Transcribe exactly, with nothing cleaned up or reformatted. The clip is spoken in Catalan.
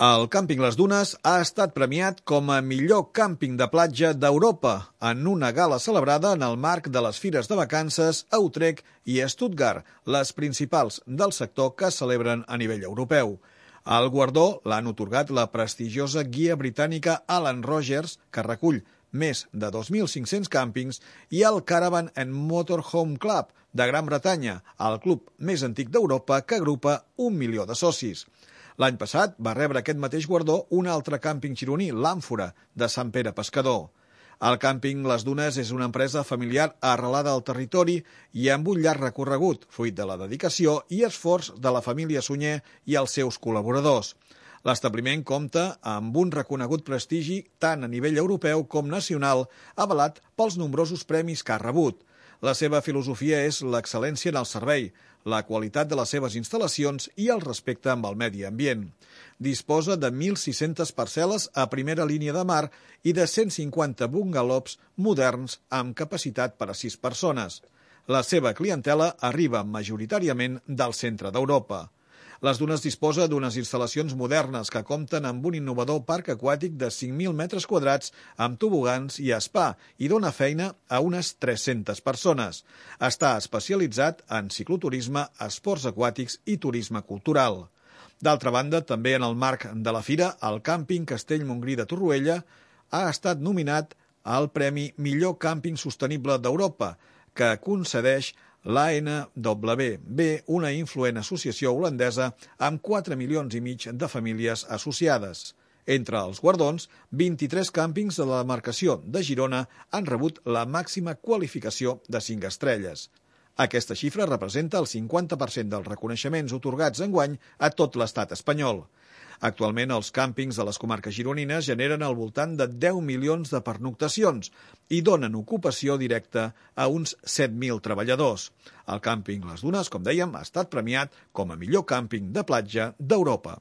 El càmping Les Dunes ha estat premiat com a millor càmping de platja d'Europa en una gala celebrada en el marc de les fires de vacances a Utrecht i Stuttgart, les principals del sector que es celebren a nivell europeu. El guardó l'han atorgat la prestigiosa guia britànica Alan Rogers, que recull més de dos mil cinc-cents càmpings, i el Caravan and Motorhome Club de Gran Bretanya, el club més antic d'Europa que agrupa un milió de socis. L'any passat va rebre aquest mateix guardó un altre càmping gironí, l'Àmfora, de Sant Pere Pescador. El càmping Les Dunes és una empresa familiar arrelada al territori i amb un llarg recorregut, fruit de la dedicació i esforç de la família Sunyer i els seus col·laboradors. L'establiment compta amb un reconegut prestigi tant a nivell europeu com nacional, avalat pels nombrosos premis que ha rebut. La seva filosofia és l'excel·lència en el servei, la qualitat de les seves instal·lacions i el respecte amb el medi ambient. Disposa de mil sis-centes parcel·les a primera línia de mar i de cent cinquanta bungalows moderns amb capacitat per a sis persones. La seva clientela arriba majoritàriament del centre d'Europa. Les Dunes disposa d'unes instal·lacions modernes que compten amb un innovador parc aquàtic de cinc mil metres quadrats amb tobogans i spa i dona feina a unes tres-centes persones. Està especialitzat en cicloturisme, esports aquàtics i turisme cultural. D'altra banda, també en el marc de la fira, el càmping Castell Montgrí de Torroella ha estat nominat al Premi Millor Càmping Sostenible d'Europa, que concedeix l'A N W B, una influent associació holandesa amb quatre milions i mig de famílies associades. Entre els guardons, vint-i-tres càmpings de la demarcació de Girona han rebut la màxima qualificació de cinc estrelles. Aquesta xifra representa el cinquanta per cent dels reconeixements atorgats enguany a tot l'estat espanyol. Actualment, els càmpings de les comarques gironines generen al voltant de deu milions de pernoctacions i donen ocupació directa a uns set mil treballadors. El càmping Les Dunes, com dèiem, ha estat premiat com a millor càmping de platja d'Europa.